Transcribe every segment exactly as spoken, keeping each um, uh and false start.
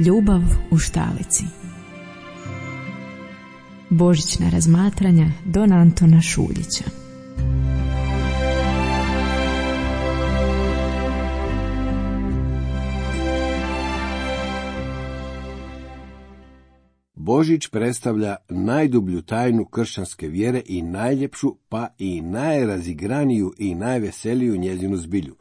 Ljubav u štalici. Božićna razmatranja don Antona Šuljića. Božić predstavlja najdublju tajnu kršćanske vjere i najljepšu, pa i najrazigraniju i najveseliju njezinu zbilju.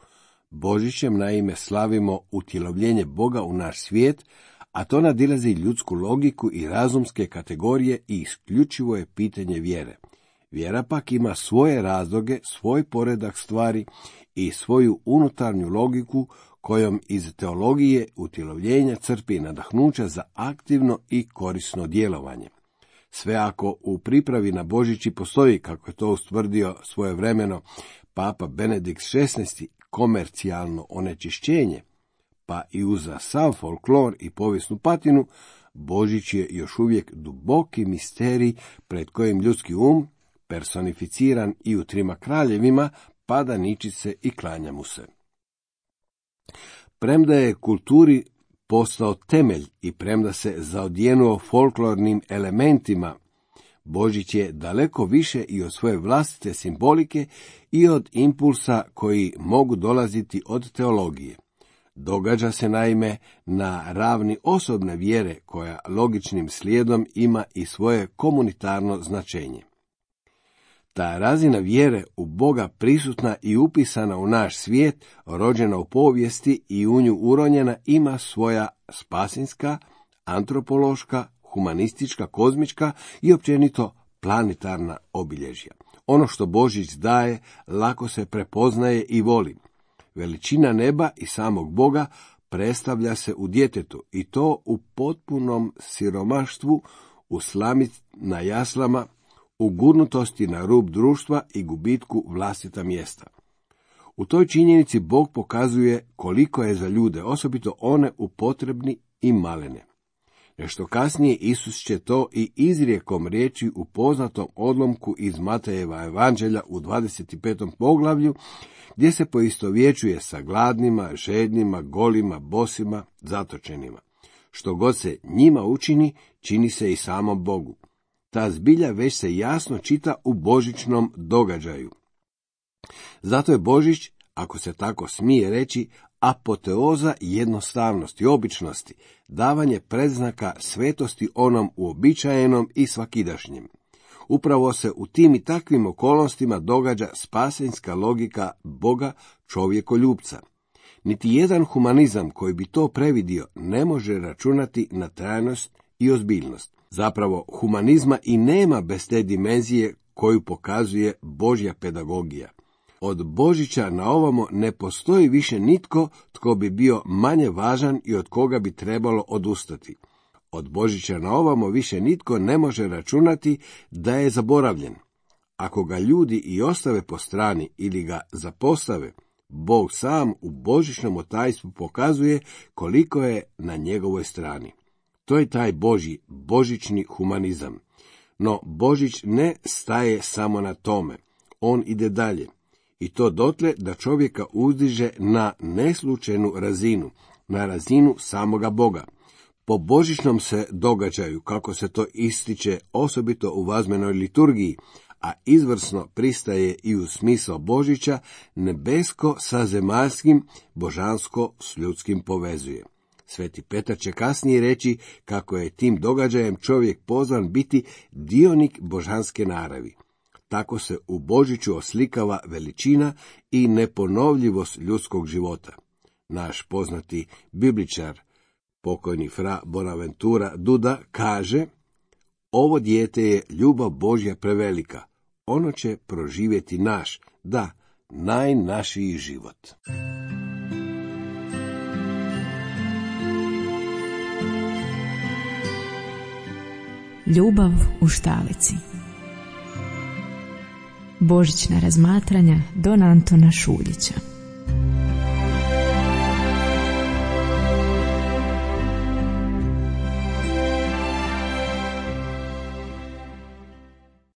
Božićem naime slavimo utjelovljenje Boga u naš svijet, a to nadilazi ljudsku logiku i razumske kategorije i isključivo je pitanje vjere. Vjera pak ima svoje razloge, svoj poredak stvari i svoju unutarnju logiku kojom iz teologije utjelovljenja crpi nadahnuća za aktivno i korisno djelovanje. Sve ako u pripravi na Božić postoji, kako je to ustvrdio svojevremeno Papa Benedikt šesnaesti, komercijalno onečišćenje, pa i uza sav folklor i povijesnu patinu, Božić je još uvijek duboki misterij pred kojim ljudski um, personificiran i u trima kraljevima, pada ničice i klanja mu se. Premda je kulturi postao temelj i premda se zaodjenuo folklornim elementima, Božić je daleko više i od svoje vlastite simbolike i od impulsa koji mogu dolaziti od teologije. Događa se naime na ravni osobne vjere koja logičnim slijedom ima i svoje komunitarno značenje. Ta razina vjere u Boga prisutna i upisana u naš svijet, rođena u povijesti i u nju uronjena, ima svoja spasinska, antropološka, humanistička, kozmička i općenito planetarna obilježja. Ono što Božić daje lako se prepoznaje i voli. Veličina neba i samog Boga predstavlja se u djetetu i to u potpunom siromaštvu, u slami na jaslama, u gurnutosti na rub društva i gubitku vlastita mjesta. U toj činjenici Bog pokazuje koliko je za ljude, osobito one upotrebni i malene. Nešto kasnije Isus će to i izrijekom reći u poznatom odlomku iz Matejeva evanđelja u dvadeset petom poglavlju, gdje se poistovjećuje sa gladnima, žednima, golima, bosima, zatočenima. Što god se njima učini, čini se i samom Bogu. Ta zbilja već se jasno čita u božićnom događaju. Zato je Božić, ako se tako smije reći, apoteoza jednostavnosti, običnosti, davanje predznaka svetosti onom uobičajenom i svakidašnjem. Upravo se u tim i takvim okolnostima događa spasenska logika Boga čovjekoljubca. Niti jedan humanizam koji bi to previdio ne može računati na trajnost i ozbiljnost. Zapravo, humanizma i nema bez te dimenzije koju pokazuje Božja pedagogija. Od Božića na ovamo ne postoji više nitko tko bi bio manje važan i od koga bi trebalo odustati. Od Božića na ovamo više nitko ne može računati da je zaboravljen. Ako ga ljudi i ostave po strani ili ga zapostave, Bog sam u božićnom otajstvu pokazuje koliko je na njegovoj strani. To je taj Božji, božićni humanizam. No Božić ne staje samo na tome. On ide dalje. I to dotle da čovjeka uzdiže na neslučajnu razinu, na razinu samoga Boga. Po božićnom se događaju, kako se to ističe osobito u vazmenoj liturgiji, a izvrsno pristaje i u smisao Božića, nebesko sa zemaljskim, božansko s ljudskim povezuje. Sveti Petar će kasnije reći kako je tim događajem čovjek pozvan biti dionik božanske naravi. Tako se u Božiću oslikava veličina i neponovljivost ljudskog života. Naš poznati bibličar, pokojni fra Bonaventura Duda, kaže: ovo dijete je ljubav Božja prevelika, ono će proživjeti naš, da, najnašiji život. Ljubav u štalici. Božićna razmatranja don Antona Šuljića.